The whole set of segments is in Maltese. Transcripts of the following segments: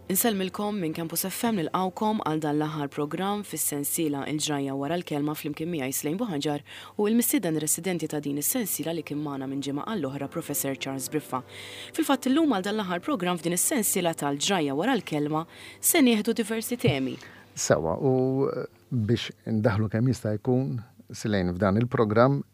Insellmilkom minn Campus FM nilqgħukom għal dan l-aħħar programm fis-sensiela Il-Ġrajja Wara l-Kelma flimkien miegħi Slane Buhaġar u l-mistieden residenti ta' din is-sensiela li kien magħna minn ġimgħa għall-oħra Professor Charles Briffa. Fil-fatt illum għal dan l-aħħar programm f'din is-sensiela tal-Ġrajja Wara l-Kelma se nieħdu diversi temi. Sewwa, u biex indaħħlu kemm jista' jkun Slane f'dan il-programm,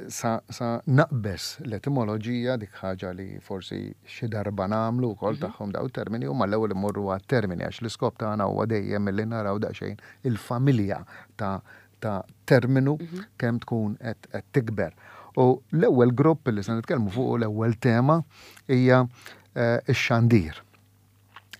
Sa, sa naqbeż l-etimoloġija, dik ħaġa li forsi xi darba nagħmlu wkoll mhm. tagħhom daw termini, u mal-ewwel immorru għat-termini għax l-iskop tagħna huwa dejjem milli naraw daqsxejn il-familja ta' ta' terminu mhm. kemm tkun qed tikber. U l-ewwel grupp li se nitkellmu fuq l-ewwel tema hija eh, x-xandir.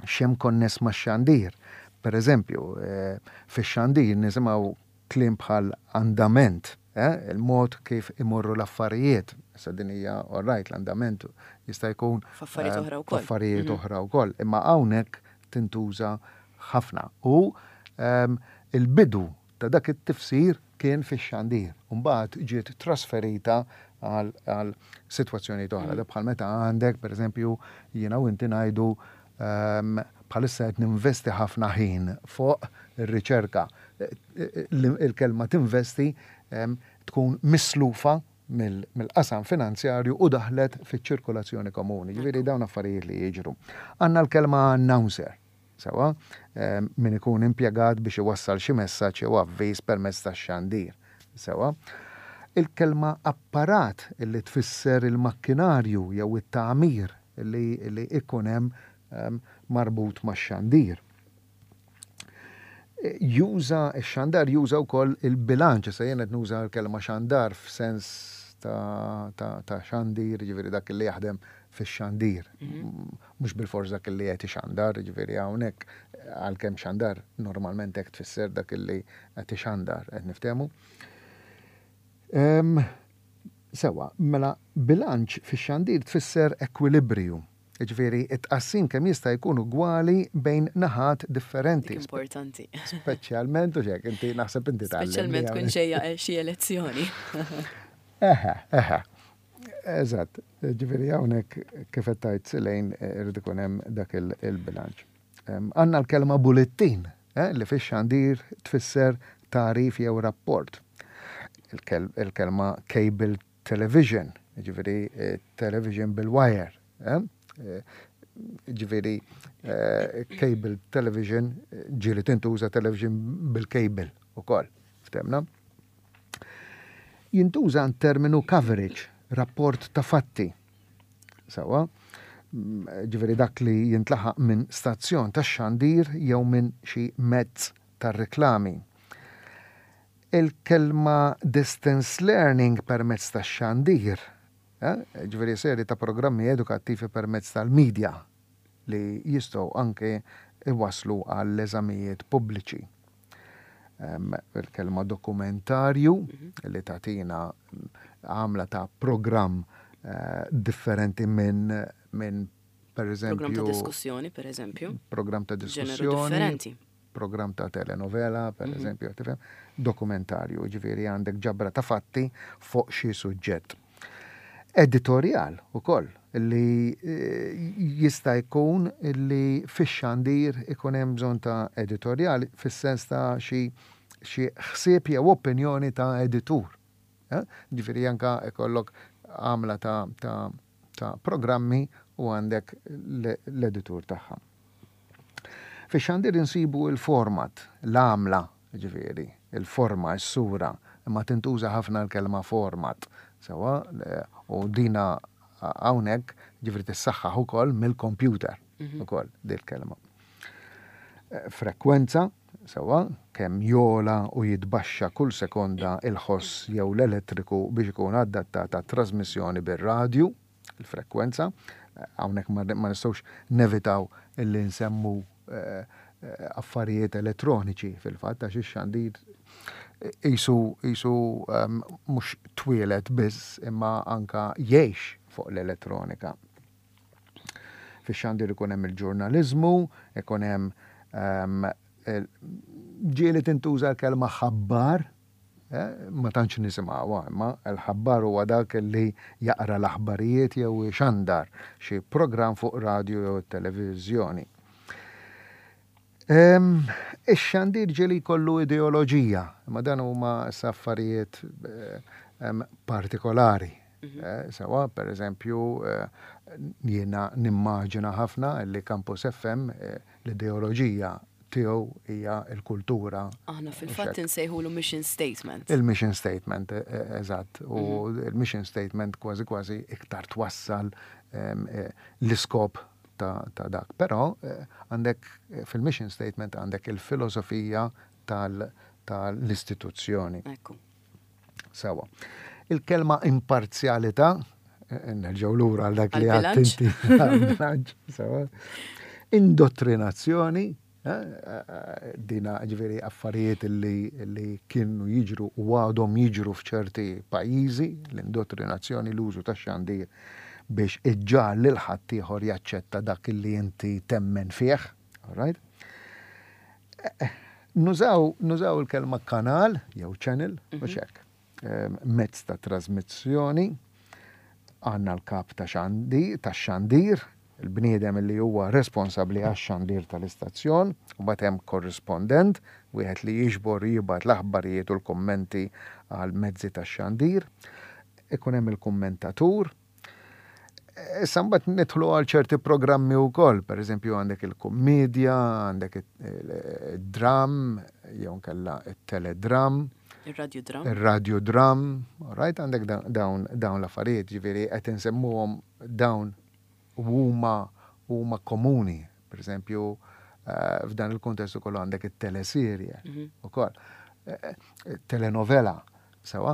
X'hemm konness max-xandir? Per eżempju, eh, fix-xandir nisimgħu Kliem bħal andament, eh, il-mod kif imorru l-affarijiet. Issa din hija all right, l-andament jista' jkun f'affarijiet oħra wkoll. F'affarijiet mhm. oħra wkoll, imma hawnhekk tintuża ħafna. U ehm, il-bidu ta' dak it-tifsir kien fix-xandir. Mbagħad ġiet trasferita għal sitwazzjonijiet oħra. Mhm. Bħal meta għandek, pereżempju, jiena u inti ngħidu ehm, bħalissa qed ninvesti ħafna ħin fuq ir-riċerka. Il-kelma tinvesti tkun mislufa mill-qasam finanzjarju u daħlet fiċ-ċirkolazzjoni komuni. Ġifieri dawn affarijiet li jiġru. Għandna l-kelma announcer, sewwa, min ikun impjegat biex iwassal xi messaġġ jew avviż permezz tax-xandir, sewwa. Il-kelma apparat li tfisser il-makkinarju jew it-tagħmir li ikun hemm marbut max-xandir. Juża, ix-xandar juża wkoll il-bilanċ, issa jien qed nuża l-kelma xandar f'sens ta', ta, ta xandir, jiġifieri dak li jaħdem fix-xandir. Mhm. Mhux bilfors dak li qed ixandar, jiġifieri hawnhekk għalkemm xandar normalment hekk tfisser dak li qed ixandar, qed niftehmu. Sewa, mela bilanċ fix-xandir tfisser ekwilibriju. Jiġifieri t-tqassim kemm jista' jkun ugwali bejn naħat differenti. Dik importanti. Speċjalment u xek, inti naħseb inti tgħallimni. Speċjalment tkun ġejja xi elezzjoni. Eħe, eħe. Eżatt, ġifieri hawnhekk kif qed tgħid Silejn irid ikun hemm dak il-bilanċ. Għandna l-kelma bullettin, eh, li fix-xandir tfisser tagħrif jew rapport. Il-kelma cable television, jiġifieri television bil-wire, eh? Jiġifieri cable television ġieli tintuża television bil-cable ukoll, ftemna. Jintuża terminu coverage, rapport ta' fatti. Sawa, ġifieri dak li jintlaħaq minn stazzjon tax-xandir jew minn xi mezz tar-reklami. Il-kelma distance learning permezz tax-xandir, jiġifieri serje ta' programmi edukattivi permezz tal-media li jistgħu anke jwasslu għall-eżamijiet pubbliċi. Il-kelma dokumentarju li tagħtina għamla ta' programm differenti minn minn pereżempju. Programm ta' diskussjoni, pereżempju. Programm ta' diskussjoni. Programm ta' telenovela, per mhm. eżempju, tifhem, dokumentarju, ġifieri għandek ġabra ta' fatti fuq xi suġġett. Editorjal ukoll li eh, jista' jkun li fix-xandir ikun hemm bżonn ta' editorjal fis-sens ta' xi xi ħsieb jew opinjoni ta' editur. Eh? Ġifieri anka ikollok għamla ta', ta, ta' programmi u għandek l-editur tagħha. Fix-xandir insibu l-format, l-għamla, jiġifieri, il-forma, is-sura, imma tintuża ħafna l-kelma format, sewwa, u dina hawnhekk, jiġifieri tissaħħaħ ukoll mill-kompjuter ukoll dil-kelma. Frekwenza, sewwa, kemm jogħla u jitbaxxa kull sekonda il-ħoss jew l-elettriku biex ikun adattat għat-trażmissjoni bir-radju. il-frekwenza. Hawnhekk ma nistgħux nevitaw illi nsemmu eh, eh, affarijiet elettroniċi fil-fatt għax ix-xandir isu isu ehm, mhux twieled biss imma anka jgħix fuq l-elettronika. Fix-xandir ikun hemm il-ġurnaliżmu, ikun hemm ehm, ġieli tintuża l-kelma ħabbar. Ma tantx nisimgħuha, imma l-ħabbar huwa dak li jaqra l-aħbarijiet jew ixandar xi programm fuq radju jew it-televiżjoni. Ix-xandir ġieli jkollu ideoloġija, imma dan huma issa affarijiet partikolari. Sewa, per eżempju, jiena nimmaġina ħafna li Campus FM l-ideoloġija tiegħu hija l-kultura. Aħna fil-fatt insejħulu mission statement. Il-mission statement, eżatt. U il-mission statement kważi kważi iktar twassal l-iskop ta' dak. Però għandek fil-mission statement għandek il-filosofija tal-istituzzjoni. Ekku. Sewa. Il-kelma imparzjalità, nerġgħu lura għal dak li għadt inti. Għall-bilanċ, sewa. Indottrinazzjoni, dina ġifieri affarijiet li kienu jiġru u għadhom jiġru f'ċerti pajjiżi, l-indottrinazzjoni, l-użu tax-xandir biex iġġagħal lil ħaddieħor jaċċetta dak li inti temmen fih. All right? Nużaw, nużaw il-kelma kanal jew channel, mhux hekk. Mezz ta' trasmissjoni, għandna l-kap ta' xandi, tax-xandir, il-bniedem li huwa responsabbli għax-xandir tal-istazzjon, u mbagħad hemm korrispondent, wieħed li jiġbor u jibgħat l-aħbarijiet u l-kummenti għal mezzi tax-xandir. Ikun hemm il-kummentatur. Issa mbagħad nidħlu għal ċerti programmi wkoll, pereżempju għandek il-kummedja, għandek id-dram, jew nkella it-teledram. Ir-radiodram. Ir-radiodram, right, għandek dawn dawn l-affarijiet, ġifieri qed insemmuhom dawn huma huma komuni. Pereżempju, f'dan il-kuntest ukoll għandek it-teleserje ukoll. Telenovela. Sewa,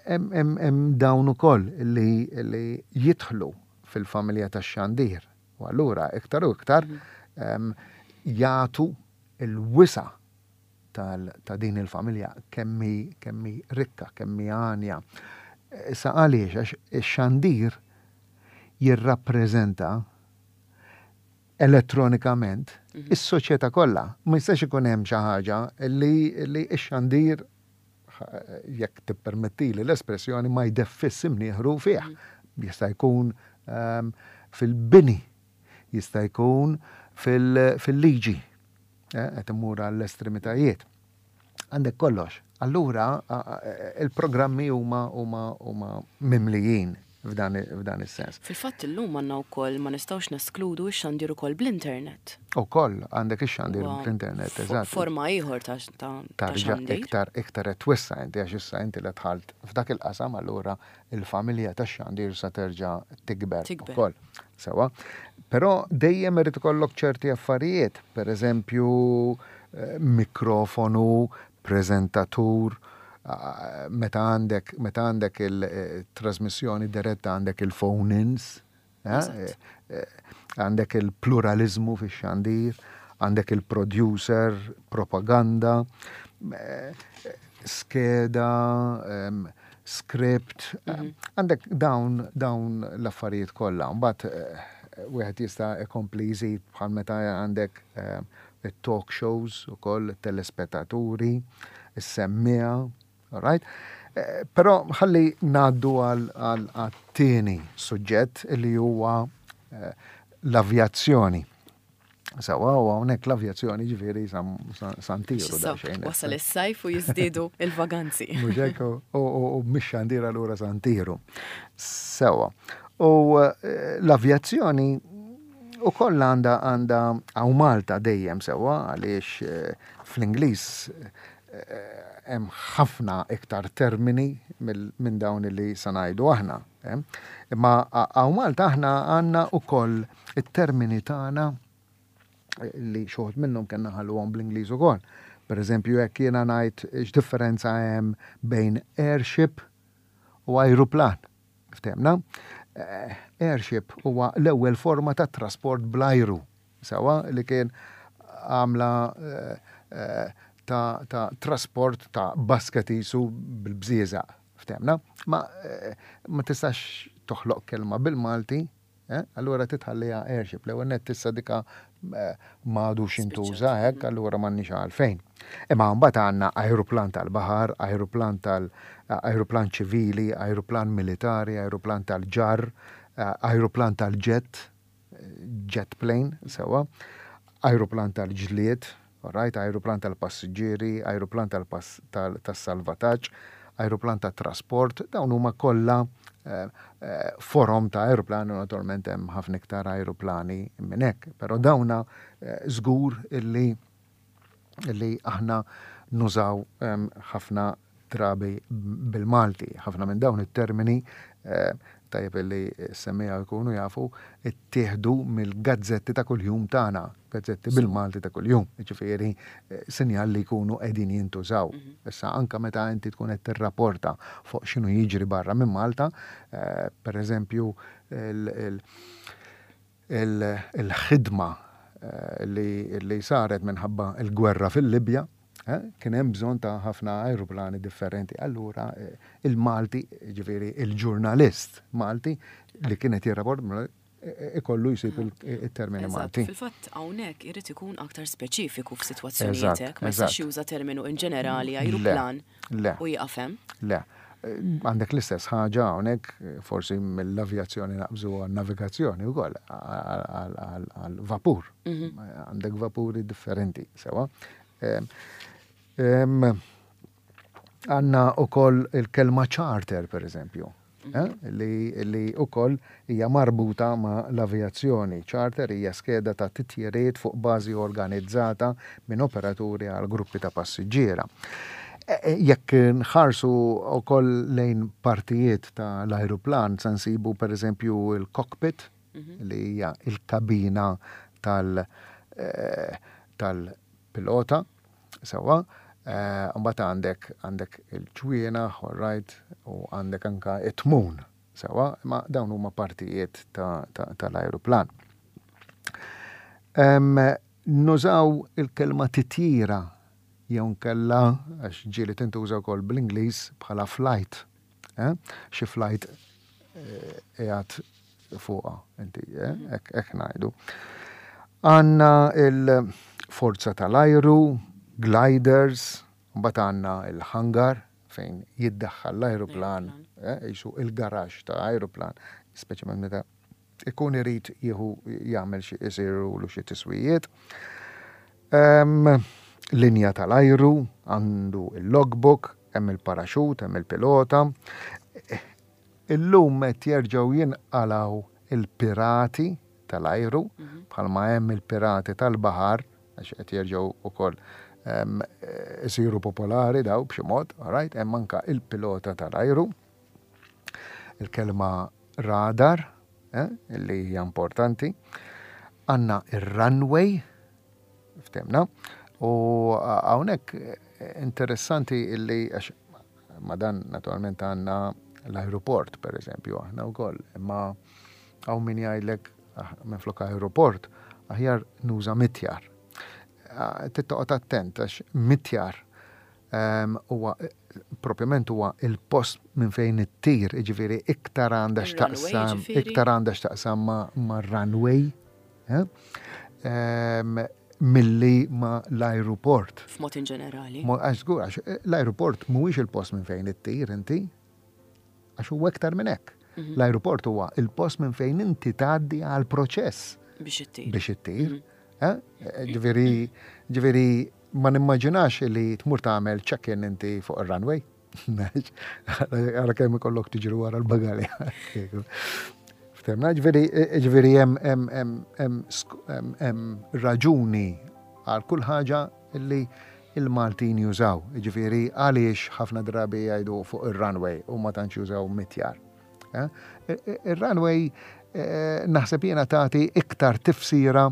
hemm dawn ukoll li jidħlu fil-familja tax-xandir. U allura iktar u iktar jagħtu l-wisa' ta' din il-familja kemm hi kemm hi rikka, kemm hi għanja. Issa għaliex? Għax ix-xandir jirrappreżenta elettronikament is-soċjetà kollha. Ma jistax ikun hemm xi ħaġa li x-xandir jekk tippermettili l-espressjoni, ma jdeffis imnieħru fih. Jista' jkun fil-bini, jista' jkun fil-liġi, qed immur għall-estremitajiet. Għandek kollox. Allura il-programmi huma huma huma mimlijin f'dan is-sens. Fil-fatt illum għandna wkoll ma nistgħux neskludu x-xandir ukoll bl-internet. Ukoll għandek ix-xandir bl-internet, eżatt. Forma ieħor ta' xandir. Iktar iktar qed twessa' inti għax issa inti la dħalt f'dak il-qasam allura il-familja tax-xandir sa terġa' tikber ukoll. Sewwa. Però dejjem irid ikollok ċerti affarijiet, pereżempju mikrofonu, preżentatur, meta għandek meta għandek il-trasmissjoni diretta għandek il-phone-ins, għandek il-pluraliżmu fix-xandir, għandek il-producer, propaganda, skeda, script, għandek dawn dawn l-affarijiet kollha. Mbagħad wieħed jista' jkompli jżid bħal meta għandek it-talk shows ukoll, it-telespettaturi, is-semmiegħa, all right? Però ħalli ngħaddu għat-tieni suġġett li huwa l-avjazzjoni. Sawa, u hawnhekk l-avjazzjoni ġifieri santiru daqsxejn. Wasal is-sajf u jiżdiedu il-vaganzi. Mhux hekk, u mix-xandir allura santiru. Sewa. U l-avjazzjoni U koll għandha għandha hawn Malta dejjem sewwa għaliex fl-Ingliż hemm ħafna iktar termini minn dawn li se ngħidu aħna. Imma hawn Malta aħna għandna wkoll it-termini tagħna li xi wħud minnhom kellna nħalluhom bl-Ingliż ukoll. Pereżempju jekk jiena ngħid x'differenza hemm bejn airship u ajruplan. Ftehmna? Airship huwa l-ewwel forma ta' trasport bl-ajru, sewwa, li kien għamla ta' ta' trasport ta' basket qisu bil-bżieżaq. Ftehmna? Ma ma tistax toħloq kelma bil-Malti. Eh? Allura titħalliha airship. L-ewwel nett issa dika eh, m'għadux jintuża hekk, allura m'għandniex għalfejn. Imma mbagħad għandna ajruplan tal-baħar, ajruplan tal ajruplan ċivili, ajruplan militari, ajruplan tal-ġarr, eh, ajruplan tal-ġett, jet plane, sewwa, ajruplan tal-ġlied, alright, ajruplan tal-passiġġieri, ajruplan tas-salvataġġ, ajruplan tat-trasport, dawn huma kollha eh, eh, forom ta' ajruplan u naturalment hemm ħafna iktar ajruplani minn hekk, però dawna eh, żgur illi illi aħna nużaw ehm, ħafna drabi bil-Malti. Ħafna minn dawn it-termini eh, tajjeb illi s-semmiegħa jkunu jafu, ittieħdu mill-gazzetti ta' kuljum tagħna, gazzetti bil-Malti ta' kuljum, jiġifieri eh, sinjal li jkunu qegħdin jintużaw. Mhm. Issa anka meta inti tkun qed tirrapporta fuq x'inhu jiġri barra minn Malta, eh, per eżempju il-ħidma eh, li saret minħabba l-gwerra fil-Libja, eh, kien hemm bżonn ta' ħafna ajruplani differenti. Allura eh, il-Malti, ġifieri il-ġurnalist Malti li kien qed jirraport ikollu jsib il-termini Malti. Fil-fatt hawnhekk irid ikun aktar speċifiku f'sitwazzjonijiet hekk, ma jistax juża terminu in ġenerali ajruplan u jieqaf hemm. Le. Għandek l-istess ħaġa hawnhekk, forsi mill-avjazzjoni naqbżu għan-navigazzjoni wkoll, għall-vapur. Mhm. Għandek vapuri differenti, sewa. Għandna wkoll il-kelma charter, per eżempju. Eh, li, li wkoll hija marbuta ma' l-avjazzjoni. Charter hija skeda ta' titjiriet fuq bażi organizzata minn operaturi għal gruppi ta' passiġġiera. E, e, jekk nħarsu wkoll lejn partijiet ta' l-ajruplan se nsibu pereżempju il-cockpit mhm. li hija il-kabina tal eh, tal-pilota Sewwa. Mbagħad għandek għandek il-ġwienaħ, all right, u għandek anka it-tmun. Sewwa, imma dawn huma partijiet tal-ajruplan. Nużaw il-kelma titjira jew nkella għax ġieli tintuża wkoll bl-Ingliż bħala flight. Eh? Xi flight eh, qiegħed fuqha inti, eh? hekk ngħidu. Għandna il-forza tal-ajru, gliders, mbagħad għandna il-hangar fejn jiddaħħal l-ajruplan, jisu il-garax ta' ajruplan, speċjalment meta ikun irid jieħu jagħmel xi isirulu xi tiswijiet. Linja tal-ajru, għandu il-logbook, hemm il-paraxut, hemm il-pilota. Illum qed jerġgħu jinqalgħu il-pirati tal-ajru, mhm. bħalma hemm il-pirati tal-baħar, għax qed jerġgħu ukoll isiru popolari daw b'xi mod, right? Hemm anka il-pilota tal-ajru. Il-kelma radar, eh, li hija importanti. Għandna ir-runway, ftemna, u hawnhekk eh, interessanti illi għax ma dan naturalment għandna l-aeroport per eżempju aħna wkoll, imma hawn min jgħidlek ah, minn flok aeroport aħjar nuża mitjar. Ah, tittoqgħod attent għax mitjar Huwa propjament huwa il-post minn fejn ittir, jiġifieri iktar għandha x'taqsam, iktar għandha x'taqsam ma' runway eh? milli ma' l-ajruport. F'mod in ġenerali. Għax żgur, għax l-ajruport mhuwiex il-post minn fejn ittir inti, għax huwa iktar minn hekk. Mhm. L-ajruport huwa il-post minn fejn inti tgħaddi għal proċess. Biex ittir. Biex ittir. Mhm. Eh? Ġifieri, ġifieri ma nimmaġinax li tmur tagħmel check-in inti fuq ir-runway. Għara kemm ikollok tiġri wara l-bagalja. Ftemna, ġifieri ġifieri hemm raġuni għal kull ħaġa li il-Maltin jużaw. Ġifieri għaliex ħafna drabi jgħidu fuq ir-runway u ma tantx jużaw mitjar. Eh? Ir-runway eh, naħseb jiena tagħti iktar tifsira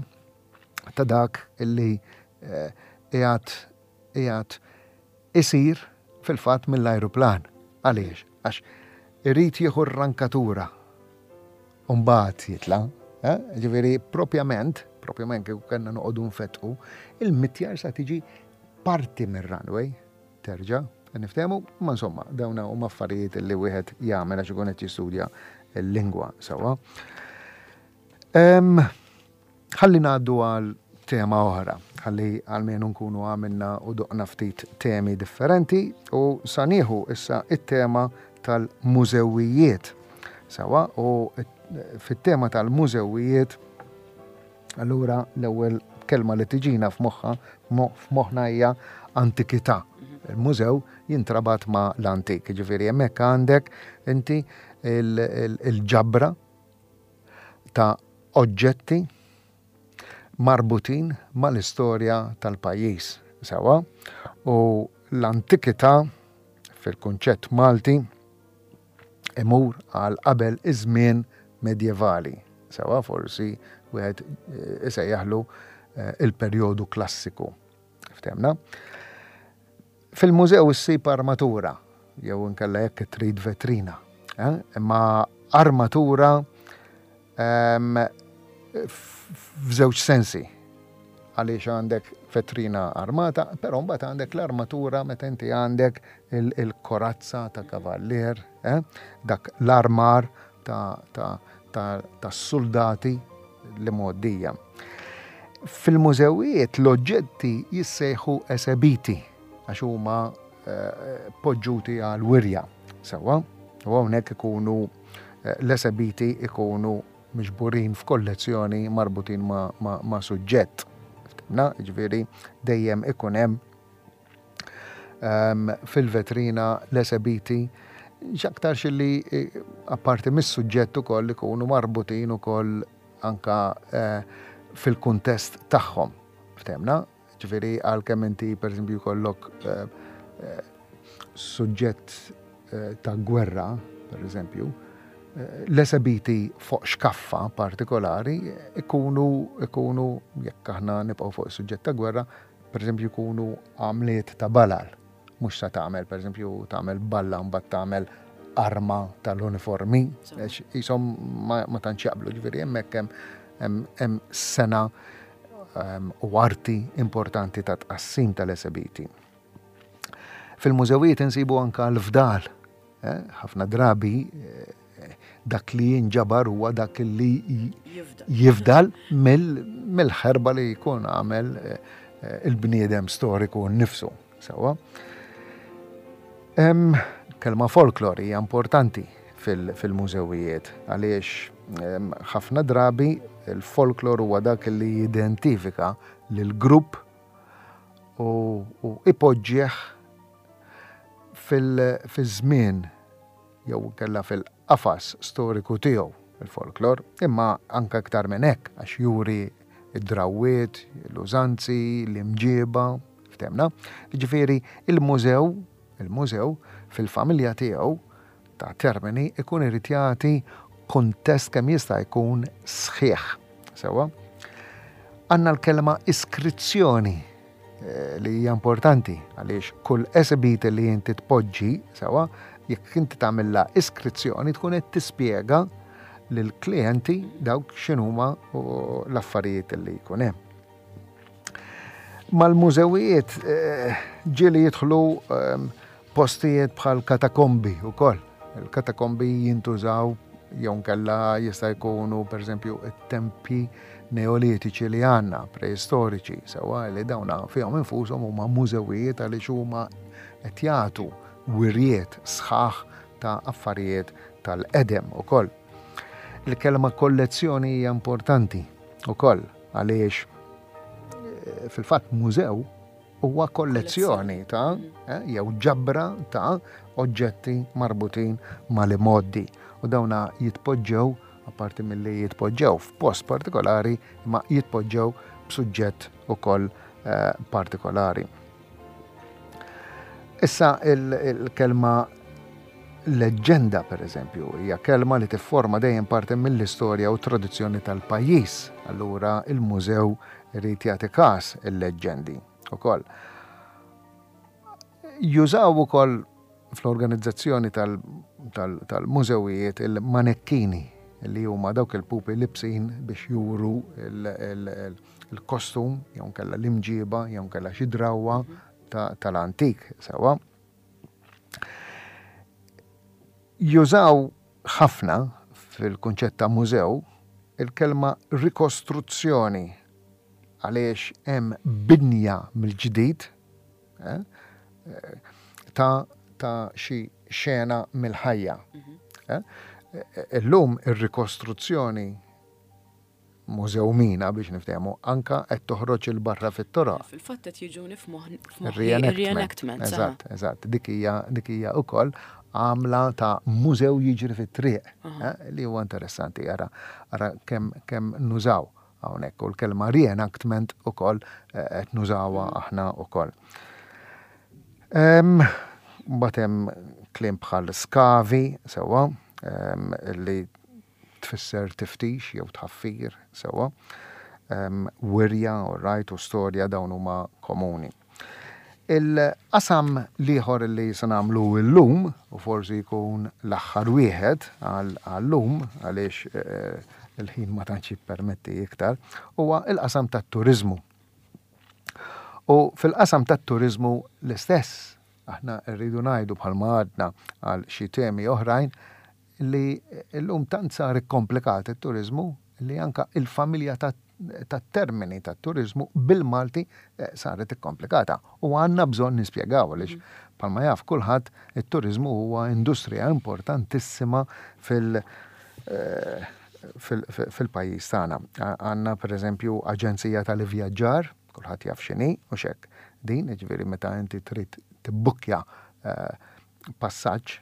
ta' dak illi eh, qiegħed qiegħed isir fil-fatt mill-ajruplan. Għaliex? Għax irid jieħu r-rankatura u mbagħad jitla'. Eh? Ġifieri propjament, propjament kieku kellna noqogħdu nfettqu, il-mitjar sa tiġi parti mir-runway terġa' niftehmu, ma insomma, dawn huma affarijiet li wieħed jagħmel għax ikun qed jistudja l-lingwa sewwa. Ħalli ngħaddu għal tema oħra, ħalli għalmenu nkunu għamilna u doqna ftit temi differenti u sa nieħu issa it-tema tal-mużewijiet. Sawa, u fit-tema tal-mużewijiet allura l-ewwel kelma li tiġina f'moħħa f'moħħna hija antikità. Il-mużew jintrabat ma' l-antik, ġifieri hemmhekk għandek inti il-ġabra ta' oġġetti marbutin mal-istorja tal-pajjiż. Sewwa? U l-antikità fil-kunċett Malti imur għal qabel iż-żmien medjevali. Sewwa forsi wieħed eh, isejjaħlu eh, il-perjodu klassiku. Ftemna? Fil-mużew issib armatura, jew inkella jekk trid vetrina. Eh? Imma armatura ehm, f'żewġ sensi. Għaliex għandek vetrina armata, però mbagħad għandek l-armatura meta inti għandek il-korazza ta' kavallier, eh? dak l-armar ta' soldati li mgħoddija. Fil-mużewijiet l-oġġetti jissejħu esebiti għax huma eh, poġġuti għal wirja. Sewwa, u hawnhekk ikunu eh, l-esebiti ikunu miġburin f'kollezzjoni marbutin ma', ma, ma suġġett. Na, ġifieri dejjem ikun hemm ehm, fil-vetrina l-esebiti x'aktarx li eh, apparti mis-suġġett ukoll ikunu marbutin ukoll anka eh, fil-kuntest tagħhom. Ftemna? Ġifieri għalkemm inti pereżempju jkollok eh, suġġett ta' gwerra, pereżempju, l-esebiti fuq xkaffa partikolari ikunu ikunu jekk aħna nibqgħu fuq is-suġġett ta' gwerra, pereżempju jkunu għamliet ta' balal. Mhux sa tagħmel, pereżempju, tagħmel balla mbagħad tagħmel arma tal-uniformi, qishom ma tantx jaqblu, ġifieri hemmhekk hemm sena ehm, u arti importanti ta' tqassim tal-esebiti. Fil-mużewijiet insibu anka l-fdal eh, ħafna drabi eh, dak li jinġabar huwa dak li jifdal mill-ħerba li jkun għamel eh, il-bniedem storiku nnifsu. Sewwa. Kelma folklor hija importanti fil-mużewijiet għaliex ħafna drabi il-folklor huwa dak li jidentifika lil grupp u ipoġġih fil-żmien jew inkella fil-qafas storiku tiegħu il-folklor, imma anke iktar minn hekk għax juri d-drawwiet, l-użanzi, l-imġieba, ftemna. Jiġifieri il-mużew, il-mużew fil-familja tiegħu ta' termini ikun irid jagħti kuntest kemm jista' jkun sħiħ. Sewwa? Għandna l-kelma iskrizzjoni Eh, li hija importanti għaliex kull esibit li inti tpoġġi sewa jekk inti tagħmilha iskrizzjoni tkun qed tispjega lill-klijenti dawk x'inhuma l-affarijiet li jkun hemm. Mal-mużewijiet eh, ġieli jidħlu ehm, Postijiet bħal katakombi wkoll. Il-katakombi jintużaw jew nkella jista' jkunu pereżempju t-tempji neolitiċi li għandna, preistoriċi, sewwa li dawna fihom infushom huma mużewijiet għaliex huma qed jagħtu wirjiet sħaħ ta' affarijiet tal-qedem ukoll. Il-kelma kollezzjoni hija importanti ukoll għaliex eh, fil-fatt mużew Huwa kollezzjoni ta' eh, jew ġabra ta' oġġetti marbutin mal-imgħoddi u dawna jitpoġġew apparti milli jitpoġġew f'post partikolari imma jitpoġġew b'suġġett ukoll eh, partikolari. Issa il-kelma leġġenda per eżempju, hija kelma li tifforma dejjem parti mill-istorja u tradizzjoni tal-pajjiż. Allura il-mużew Irid jagħti każ il-leġġendi ukoll. Jużaw ukoll fl-organizzazzjoni tal-mużewijiet il-manekkini li huma dawk il-pupi libsin biex juru il-kostum jew nkella l-imġiba jew nkella xi drawwa tal-antik sewwa. Jużaw ħafna fil-kunċett ta' mużew. Il-kelma rikostruzzjoni għaliex hemm binja mill-ġdid eh, ta' ta' xi xena mill-ħajja. Mhm. Eh, illum ir-rikostruzzjoni Mużew Mina biex niftehmu, anka qed toħroġ 'il barra fit-toroq. Fil-fatt qed jiġuni f'moħħi reenactment. Eżatt, eżatt. Dik hija dik hija wkoll għamla ta' mużew jiġri fit-triq eh, li huwa interessanti ara ara kemm kemm nużaw hawnhekk u l-kelma reenactment ukoll eh, qed nużawha aħna wkoll. Mbagħad hemm kliem bħal skavi sewwa li tfisser tiftix jew tħaffir, sewwa. Wirja, all right, u storja dawn huma komuni. Il-qasam l-ieħor li se nagħmlu llum, u forsi jkun l-aħħar wieħed għal-lum, għaliex eh, il-ħin ma tantx jippermetti iktar, huwa il-qasam tat-turiżmu. U fil-qasam tat-turiżmu l-istess, aħna rridu ngħidu bħalma għadna għal xi temi oħrajn, li llum tant sar ikkomplikat it-turiżmu li anka il-familja tat-termini tat-turiżmu bil-Malti eh, saret ikkomplikata. U għandna bżonn nispjegaw għaliex mm. bħalma jaf kulħadd it-turiżmu huwa industrija importantissima fil- eh, fil-pajjiż tagħna. Għandna pereżempju aġenzija tal-ivvjaġġar, kulħadd jaf x'inhi u xek. Din, ġifieri meta inti trid tibbukkja eh, passaġġ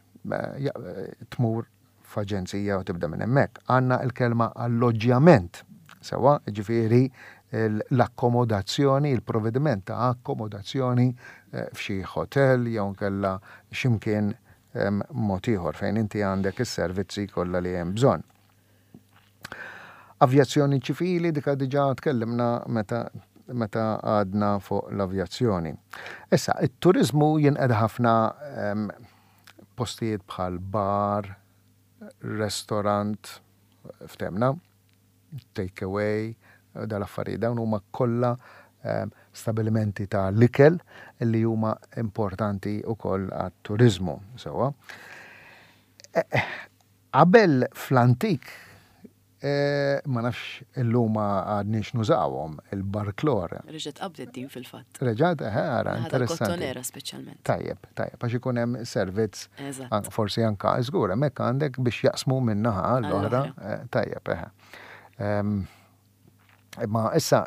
tmur f'aġenzija u tibda minn hemmhekk. Għandna l-kelma alloġġjament, sewwa, jiġifieri l-akkomodazzjoni, il-provvediment ta' akkomodazzjoni eh, f'xi hotel jew nkella x'imkien mod ieħor fejn inti għandek is-servizzi kollha li hemm bżonn. Avjazzjoni ċivili dika diġà tkellimna meta meta għadna fuq l-avjazzjoni. Issa, it-turiżmu jinqeda ħafna ehm, postijiet bħal bar, restaurant, ftemna, take away, dal-affarijiet dawn huma kollha ehm, stabilimenti ta' l-ikel li huma importanti wkoll għat-turiżmu. Sewwa. Eh, eh, Qabel fl-antik, ma nafx illum għadniex nużawhom, il-barklor. Reġgħet qabdet din fil-fatt. Reġgħet, eħe, ara, interessanti. Kottonera speċjalment. Tajjeb, tajjeb, għax ikun hemm servizz. Eżatt. Forsi anka, żgur, hemmhekk għandek biex jaqsmu minn naħa għall-oħra. Tajjeb, eħe. Imma issa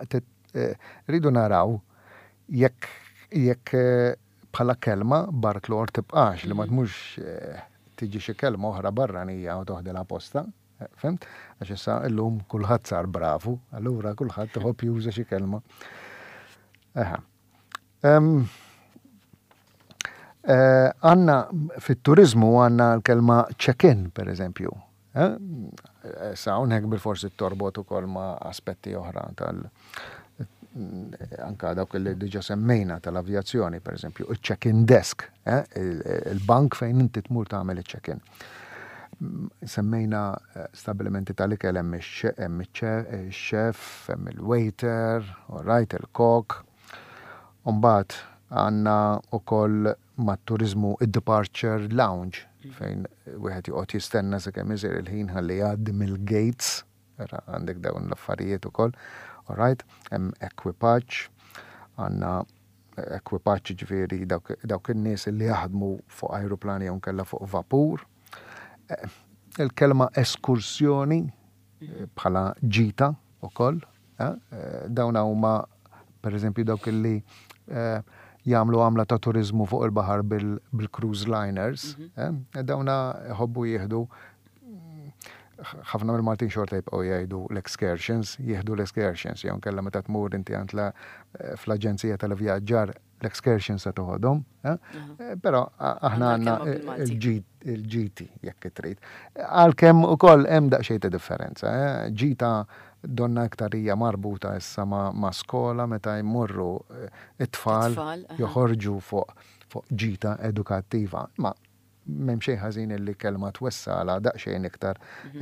rridu naraw jekk jekk bħala kelma barklor tibqax li ma tmurx tiġi xi kelma oħra barranija u toħdilha postha. Fhimt? Għax issa illum kulħadd sar bravu, allura kulħadd iħobb juża xi kelma. Eħe. Eh, għanna fit-turizmu għanna l-kelma check-in, per eżempju. Eh? Sa hawnhekk bil-forsi torbot ukoll ma' aspetti oħra tal- anka dawk li diġa semmejna tal-avjazzjoni, per eżempju, il-check-in desk, eh? il-bank fejn inti tmur tagħmel il-check-in. Semmejna eh, stabilimenti tal-ikel hemm ix-chef, hemm il-waiter, all right, il-kok. Umbagħad għandna ukoll mat-turiżmu id-departure lounge fejn wieħed joqgħod jistenna sakemm isir il-ħin ħalli jgħaddi mill-gates Ara għandek dawn l-affarijiet ukoll. All right, hemm ekwipaġġ, għandna ekwipaġġ ġifieri dawk in-nies li jaħdmu fuq ajruplani jew nkella fuq vapur. Eh, il-kelma eskursjoni eh, bħala ġita ukoll, eh, dawn huma pereżempju dawk li jagħmlu għamla ta' turizmu fuq il-baħar bil-cruise liners, mhm. dawna jħobbu jieħdu ħafna mill-Maltin xorta jibqgħu jgħidu l-excursions, jieħdu l-excursions, jew nkella meta tmur inti għand fl-aġenzija tal-vjaġġar l-excursions se toħodhom, eh? eh, però aħna għandna il-ġiti jekk trid. Għalkemm ukoll hemm daqsxejn ta' differenza, eh? ġita donna iktar hija marbuta issa ma' skola meta jmorru it-tfal joħorġu fuq ġita edukattiva. Ma M'hemm xejn ħażin illi kelma twessagħlha daqsxejn iktar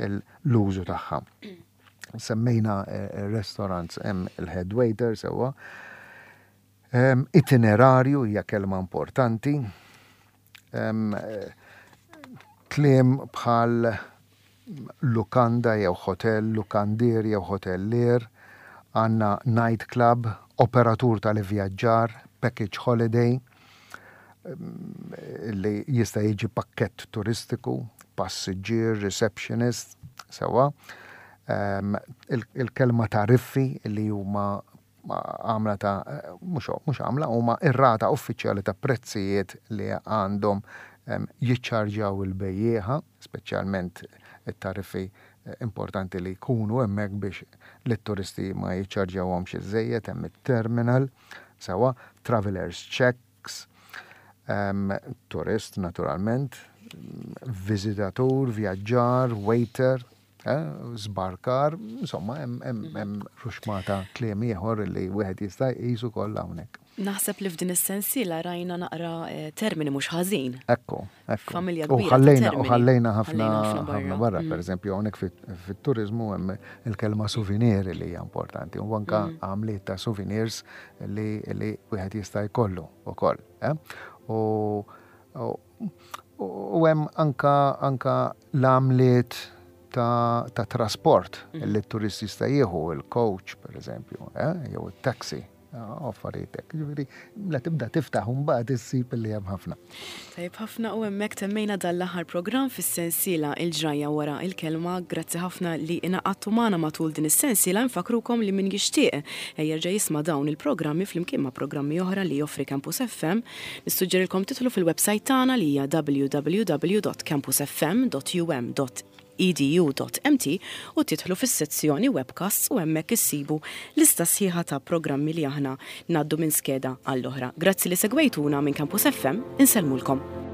l-użu tagħha. Semmejna eh, restaurants hemm il-head waiter sewwa. Itinerarju hija kelma importanti. Eh, kliem bħal lukanda jew hotel, lukandier jew hotellier, għandna night club, operatur tal-ivvjaġġar, package holiday, li jista' jiġi pakkett turistiku, passiġġier, receptionist, sewwa. Il-kelma tariffi li huma għamla ta' mhux għamla huma ir-rata uffiċjali ta' prezzijiet li għandhom jiċċarġjaw il-bejjiegħa, speċjalment it-tariffi importanti li jkunu hemmhekk biex lit-turisti ma jiċċarġjawhomx iżżejjed, hemm it-terminal, sewwa, travelers checks, turist naturalment, viżitatur, vjaġġar, waiter, żbarkar, insomma hemm ruxmata kliem ieħor li wieħed jista' jqis ukoll hawnhekk. Naħseb li f'din is-sensiela rajna naqra termini mhux ħażin. Ekku, ekku. Familja kbira. Ħallejna u ħallejna ħafna ħafna barra, pereżempju hawnhekk fit-turiżmu hemm il-kelma souvenir li hija importanti u anka għamliet ta' souvenirs li wieħed jista' jkollu ukoll. U U hemm anka anka l-għamliet ta', ta trasport mm. li t-turist jista' jieħu il-coach pereżempju, eh, jew it-taxi eh, affarijiet hekk. Ġifieri, la tibda tiftaħ u mbagħad issib li hemm ħafna. Tajjeb ħafna u hemmhekk temmejna dan l-aħħar programm fis-sensiela Il-Ġrajja wara il-kelma. Grazzi ħafna li ingħaqadtu magħna matul din is-sensiela. Infakkrukom li min jixtieq jerġa' jisma' dawn il-programmi flimkien ma' programmi oħra li joffri Campus FM Nissuġġerilkom tidħlu fil-websajt tagħna li hija www.campusfm.um.edu.mt u tidħlu fis-sezzjoni Webcasts u hemmhekk issibu lista sħiħa ta' programmi li aħna ngħaddu minn skeda għall-oħra. Grazzi li segwejtuna minn Campus FM, insellmulkom.